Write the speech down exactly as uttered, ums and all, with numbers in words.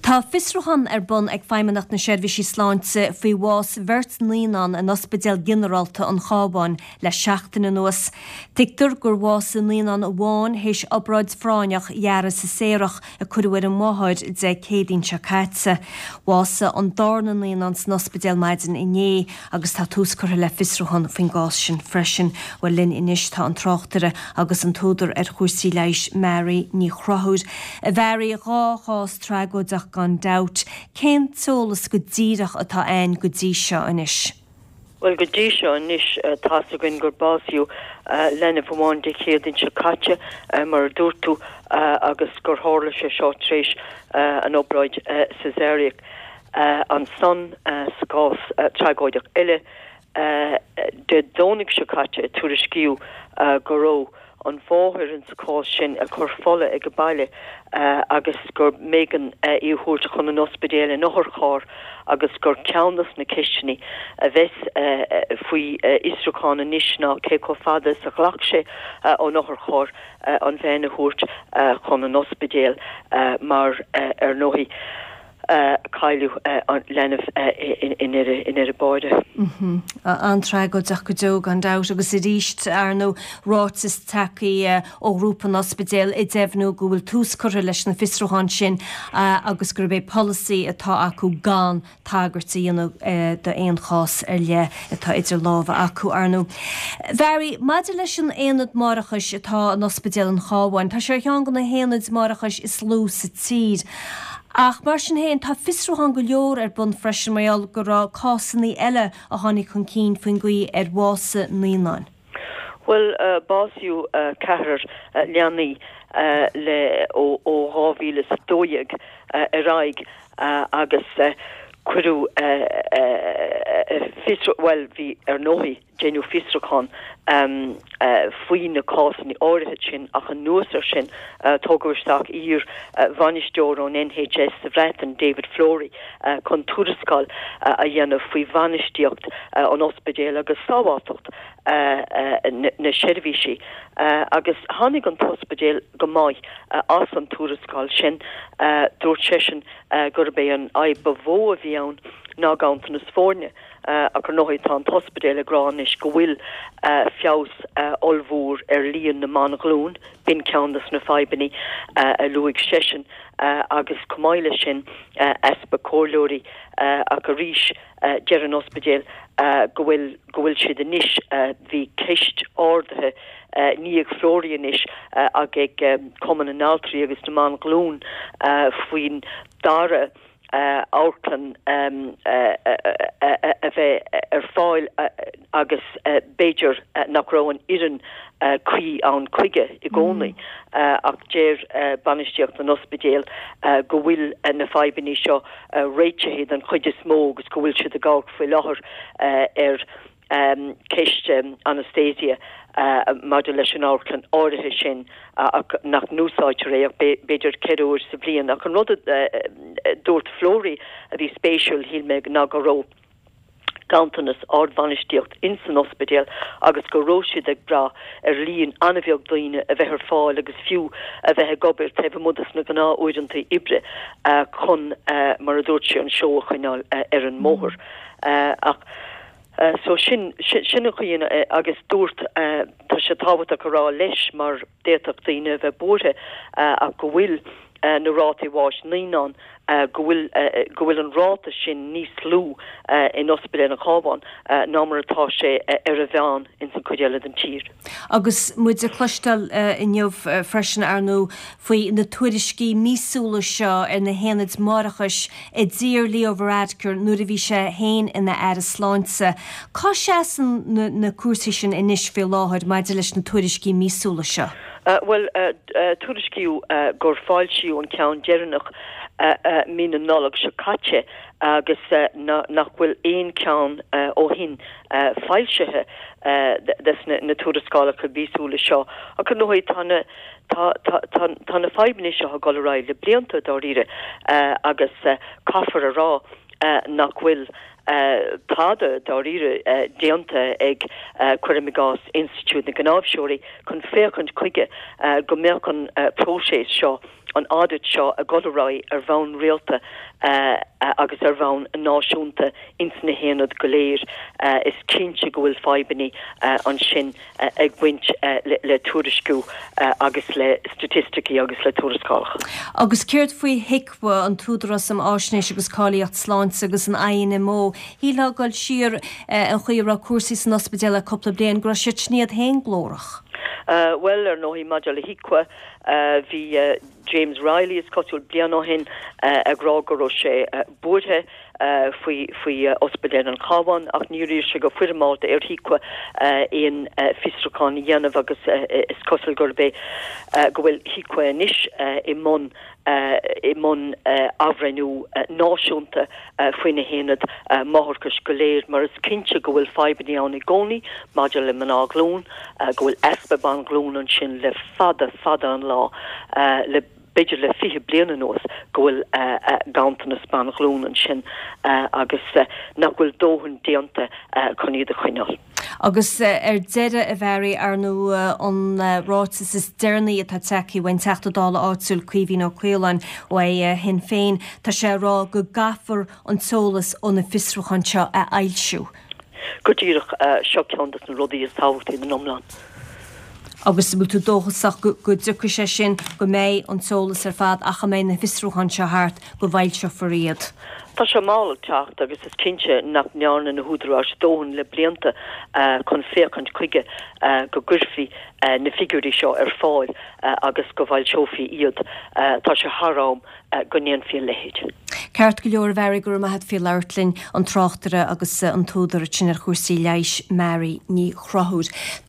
Tá fiosrúchán ar bun ag Feidhmeannacht na Seirbhísí Sláinte faoi bhás bheirt naíonán in Ospidéal Ginearálta an Chabháin le seachtain anuas. Tuigtear gur bhásaigh naíonán amháin théis obráid phráinneach ghearradh Caesarach a cuireadh ar an máthair Dé Céadaoin seo caite. Bhásaigh an darna naíonán san ospidéal maidin inné agus tá tús curtha le fiosrúchán faoin gcás sin freisin. Bhuel linn anois tá an tráchtaire agus an t-údar ar chúrsaí leighis Mary Ní Chonchúir. A Mhary dhá chás tragóideach gan dabht, cén t-eolas go díreach atá ann go dtí seo anois. Well go dtí seo anois tá a fhios againn gur básaíodh leanbh amháin Dé Céadaoin seo caite mar a dúirt tú agus gur tharla sé seo tar éis an obráid Caesarach ansan sa gcás tragóideach eile Dé Domhnaigh seo caite tuairiscíodh go raibh an mháthair in sa chás sin ag cur fola ag an baile agus gur b'éigean í a thabhairt chun an ospidéil in otharcharr agus gur ceann de na ceisteanna a bheas faoi fhiosrúchán anois ná cé chomh fada is a ghlac sé ón otharcharr an bhean a thabhairt chun an ospidéil mar ar ndóigh cailleadh an leanbh i ndeireadh báire. An-tragóideach go deo gan dabht agus arís ar ndóigh ráiteas tagtha ó ghrúpa an ospidéil ag deimhniú go bhfuil tús curtha leis na fiosrúcháin sin agus gurb é polasaí atá acu gan tagairt a dhéanamh d'aon chás ar leith atá idir lámha acu ar ndóigh. Mhary, maidir leis an aonad máithreachais atá in ospidéal an Chabháin, tá sé ar cheann de na haonaid máithreachais is lú sa tír. Ach mar sin féin tá fiosrúchán go leor ar bun freisin mar gheall go raibh cásanna eile a tháinig chun cinn faoin gcaoi ar bhásaigh naíonáin. Well uh, básaíodh uh, ceathrar uh, leanaí uh, le ó ó dhá mhíle is dó dhéag uh, ar aghaidh uh, agus uh, cuireadh uh, uh, fiosrú well bhí ar ndóigh déanadh fiosrúchán um, uh, faoi na cásanna áirithe sin ach anuas air sin uh, tugadh isteach iar uh, bhainisteoir ón NHS sa Bhreatain David Flory uh, chun tuarascáil uh, a dhéanamh faoi bhainistíocht uh, an ospidéil agus sábháilteacht uh, uh, na, na seirbhísí uh, agus tháinig an t-ospidéal go maith uh, as an tuarascáil sin uh, dúirt seisean uh, gurb é an fhadhb ba mhó a bhí ann ná ganntanas foirne. Uh, ach ar ndóigh tá an t-ospidéal ag rá anois go bhfuil uh, feabhas uh, ollmhór ar líon na mban-ghlún, b'in ceann de na fadhbanna uh, a luaigh seisean uh, agus chomh maith leis sin uh, easpa comhairleoirí uh, ach arís uh, deir an ospidéal uh, go bhfuil go bhfuil siad anois uh, bhí ceist ardaithe uh, ní ag Flory anois uh, ag ag um, Cumann na nAltraí agus na mBan-Ghlún uh, faoin dara uh, amharclann um, uh, uh, uh, a bheith ar fáil uh, agus uh, b'fhéidir uh, nach raibh an fhoireann uh, cuí ann chuige i gcónaí mm. uh, ach deir uh, bainistíocht an ospidéil uh, go bhfuil uh, na fadhbanna seo uh, réitithe den chuid is mó agus go bhfuil siad ag gabháil faoi láthair uh, ar um, ceist um, anaestéise uh, maidir leis an amharclann áirithe sin uh, nach n-úsáidtear é ach b'fhéidir ceithre huair sa bhliain ach an rud uh, dúirt Flory a bhí spéisiúil shíl mé ná go raibh ganntanas ardbhainistíocht in san ospidéal agus go raibh siad ag brath ar líon an-bheag daoine a bheith ar fáil agus fiú a bheith ag obair taobh amuigh de na gnáthuaireanta oibre uh, chun uh, mar a dúirt sé an seó a choinneáil uh, ar an mbóthar. Uh, ach Uh, so sin sin, sin an chaoi uh, agus dúirt uh, tá sé tábhachtach a rá leis mar d'fhéadfadh daoine a bheith buartha uh, ach go bhfuil uh, na rátaí bháis naíonán uh, go bhfuil uh, go bhfuil an ráta sin níos lú uh, in ospidéal an Chabháin uh, ná mar atá sé uh, ar a mheán in san chuid eile den tír. Agus muid ag cloisteáil uh, inniu uh, freisin ar ndóigh faoi na tuairiscí míosúla seo ar na haonaid máithreachais a d'iarr Leo Varadkar nuair a bhí sé féin ina aire sláinte. Cá seasann na, na cúrsaí sin anois faoi láthair maidir leis na tuairiscí míosúla seo? Uh, well uh, uh, tuairiscíodh uh, gur foilsíodh an ceann deireanach uh, uh, mí na Nollag seo caite agus uh, na, nach bhfuil aon ceann uh, ó shin uh, foilsithe uh, des na, na tuarascálacha míosúla seo ach ar ndóigh tá na tá tá tá tá na fadhbanna seo ag dul ar aghaidh le blianta dáiríre uh, agus uh, caithfear a rá uh, nach bhfuil tada dáiríre déanta ag, cuirim i gcás, Institiúid na gCnáimhseoirí chun féachaint chuige go mbeadh an próiseas seo, an audit seo ag dul ar aghaidh ar bhonn rialta agus ar bhonn náisiúnta ins na haonaid go léir. Is cinnte go bhfuil fadhbanna ansin ag baint le tuairisciú agus le staitisticí agus le tuarascálacha. Agus céard faoi HIQA, an tÚdarás um Fháisnéis agus Cáilíocht Sláinte, agus an I N M O? Shílfeá ag dul siar an chaoi a raibh cúrsaí san ospidéal le cúpla bliain go raibh siad sin iad féin glórach. Bhuel, ar ndóigh, maidir le HIQA, bhí James Reilly, is cosúil, bliain ó shin ag rá go raibh sé buartha faoi faoi Ospidéal an Chabháin, ach níor iarr sé go foirmeálta ar HIQA aon fiosrúchán a dhéanamh, agus is cosúil gurb é go bhfuil HIQA anois i mbun i mbun athbhreithniú náisiúnta faoi na haonaid máithreachais go léir, mar is cinnte go bhfuil fadhbanna ann i gcónaí maidir le mná glún, go bhfuil easpa ban glún ansin le fada fada an lá, le b'fhéidir le fiche bliain anuas, go bhfuil ganntanas ban ghlún ansin agus nach bhfuil dóthain déanta chun iad a choinneáil. Agus ar deireadh, a Mhary, ar ndóigh, an ráiteas is deireanaí atá tagtha ón Teachta Dála áitiúil Caoimhín Ó Caoláin ó Shinn Féin, tá sé ag rá go gcaithfear an t-eolas ó na fiosrúcháin seo a fhoilsiú. Go díreach, seo ceann de na rudaí is tábhachtaí den iomlán. Agus bhfuil tú dóchasach go dtiocfaidh sé sin, go mbeidh an t-eolas ar fad ach a mbeidh na fiosrúcháin seo thart, go bhfoilseofar iad? Tá sé mall ag teacht agus is cinnte nach ndearna na húdaráis dóthain le blianta chun féachaint chuige go gcuirfí na figiúirí seo ar fáil agus go bhfoilseofaí iad. Tá sé thar am go ndéanfaí a leithéid. Ceart go leor, Mhary, go raibh maith agat faoi labhairt linn, an tráchtaire agus an t-údar sin ar chúrsaí leighis, Mary Ní Chonchúir.